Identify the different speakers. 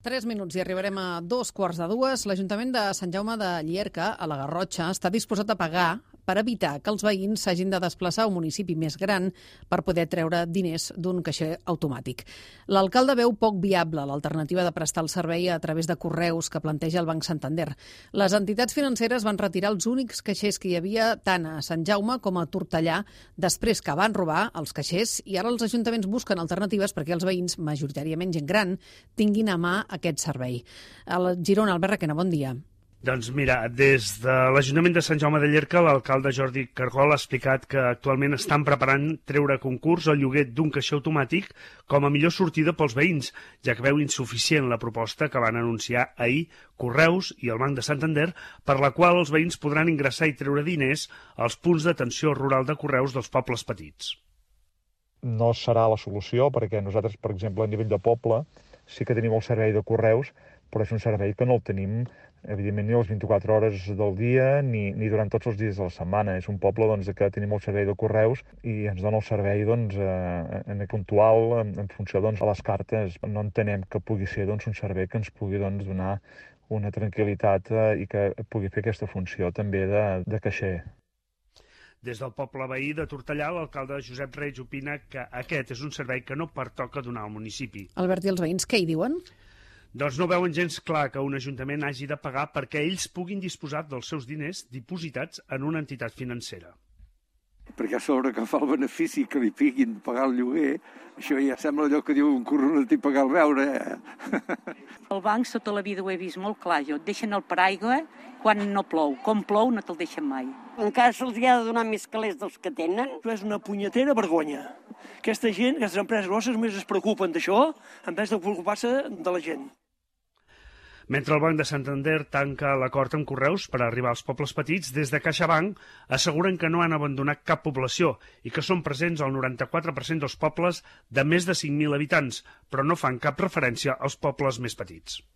Speaker 1: 3 minuts i arribarem a 2:45. L'Ajuntament de Sant Jaume de Llierca, a la Garrotxa, està disposat a pagar per evitar que els veïns s'hagin de desplaçar a un municipi més gran per poder treure diners d'un caixer automàtic. L'alcalde veu poc viable l'alternativa de prestar el servei a través de correus que planteja el Banc Santander. Les entitats financeres van retirar els únics caixers que hi havia tant a Sant Jaume com a Tortellà després que van robar els caixers, i ara els ajuntaments busquen alternatives perquè els veïns, majoritàriament gent gran, tinguin a mà aquest servei. A Girona, Albert Requena, bon dia.
Speaker 2: Doncs mira, des de l'Ajuntament de Sant Jaume de Llierca, l'alcalde Jordi Cargol ha explicat que actualment estan preparant treure a concurs el lloguer d'un caixer automàtic com a millor sortida pels veïns, ja que veu insuficient la proposta que van anunciar ahir Correus i el Banc de Santander, per la qual els veïns podran ingressar i treure diners als punts d'atenció rural de Correus dels pobles petits.
Speaker 3: No serà la solució, perquè nosaltres, per exemple, a nivell de poble, sí que tenim el servei de correus, però és un servei que no el tenim, evidentment, ni a les 24 hores del dia ni durant tots els dies de la setmana. És un poble que tenim el servei de correus i ens dona el servei en puntual en funció a les cartes. No entenem que pugui ser un servei que ens pugui donar una tranquil·litat i que pugui fer aquesta funció també de caixer.
Speaker 2: Des del poble veí de Tortellà, l'alcalde Josep Reig opina que aquest és un servei que no pertoca donar al municipi.
Speaker 1: Albert, i els veïns què hi diuen?
Speaker 2: Doncs no veuen gens clar que un ajuntament hagi de pagar perquè ells puguin disposar dels seus diners dipositats en una entitat financera.
Speaker 4: Perquè a sobre que fa el benefici que li piguin pagar el lloguer, això ja sembla allò que diu un corronat i pagar el beure.
Speaker 5: El banc tota la vida ho he vist molt clar, et deixen el paraigua quan no plou. Com plou no te'l deixen mai.
Speaker 6: Encara se'ls ha de donar més calés dels que tenen.
Speaker 7: És una punyetera vergonya. Aquesta gent, aquestes empreses grosses, només es preocupen d'això en vez de preocupar-se de la gent.
Speaker 2: Mentre el Banc de Santander tanca l'acord amb Correus per arribar als pobles petits, des de CaixaBank asseguren que no han abandonat cap població i que són presents al 94% dels pobles de més de 5.000 habitants, però no fan cap referència als pobles més petits.